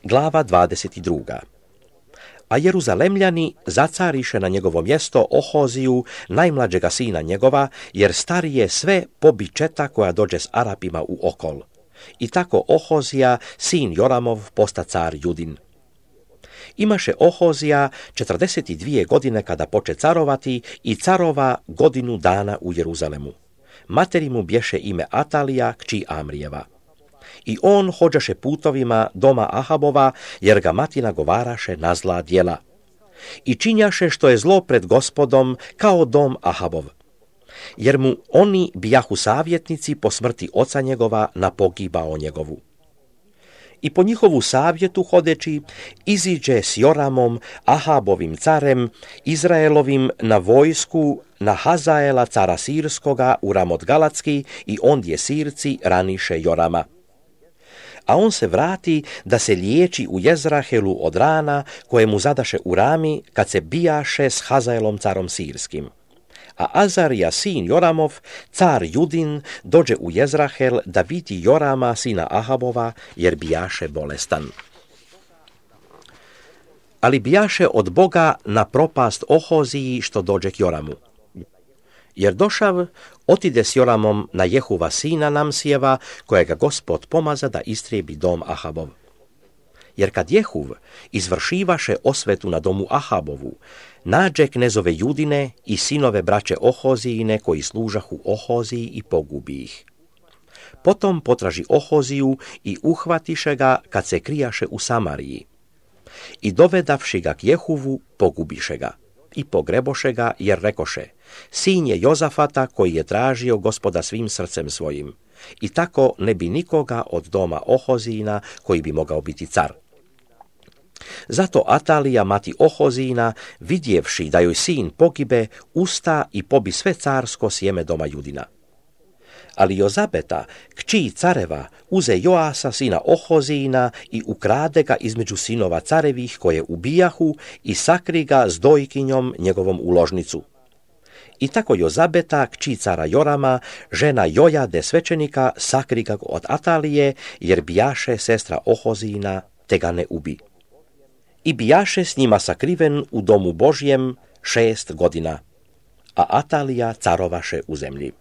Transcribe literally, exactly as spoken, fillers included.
Glava dvadeset druga. A Jeruzalemljani zacariše na njegovo mjesto Ohoziju, najmlađega sina njegova, jer starije sve pobi četa koja dođe s Arapima u okol. I tako Ohozija, sin Joramov, posta car Judin. Imaše Ohozija četrdeset dvije godine kada poče carovati i carova godinu dana u Jeruzalemu. Materi mu bješe ime Atalija, kći Amrijeva. I on hođaše putovima doma Ahabova, jer ga mati nagovaraše na zla djela. I činjaše što je zlo pred Gospodom, kao dom Ahabov. Jer mu oni bijahu savjetnici po smrti oca njegova na pogibao njegovu. I po njihovu savjetu hodeći, iziđe s Joramom, Ahabovim carem, Izraelovim na vojsku, na Hazaela cara Sirskoga u Ramot Galatski, i ondje Sirci raniše Jorama. A on se vrati da se liječi u Jezrahelu od rana koje mu zadaše u Rami kad se bijaše s Hazaelom carom Sirskim. A Azarija, sin Joramov, car Judin, dođe u Jezrahel da vidi Jorama, sina Ahabova, jer bijaše bolestan. Ali bijaše od Boga na propast Ohoziji što dođe k Joramu. Jer došav, otide s Joramom na Jehuva sina Namsijeva, kojega Gospod pomaza da istrijebi dom Ahabov. Jer kad Jehuv izvršivaše osvetu na domu Ahabovu, nađe knezove Judine i sinove braće Ohozijine koji služahu Ohoziji i pogubi ih. Potom potraži Ohoziju i uhvatiše ga kad se krijaše u Samariji. I dovedavši ga k Jehuvu, pogubiše ga. I pogreboše ga, jer rekoše, sin je Jozafata koji je tražio Gospoda svim srcem svojim. I tako ne bi nikoga od doma Ohozijina koji bi mogao biti car. Zato Atalija, mati Ohozijina, vidjevši da joj sin pogibe, usta i pobi sve carsko sjeme doma Judina. Ali Jozabeta, kći careva, uze Joasa, sina Ohozijina, i ukrade ga između sinova carevih koje ubijahu i sakri ga s dojkinjom njegovom u ložnicu. I tako Jozabeta, kći cara Jorama, žena Jojade svećenika, sakri ga od Atalije, jer bijaše sestra Ohozijina, te ga ne ubi. I bijaše s njima sakriven u domu Božjem šest godina, a Atalija carovaše u zemlji.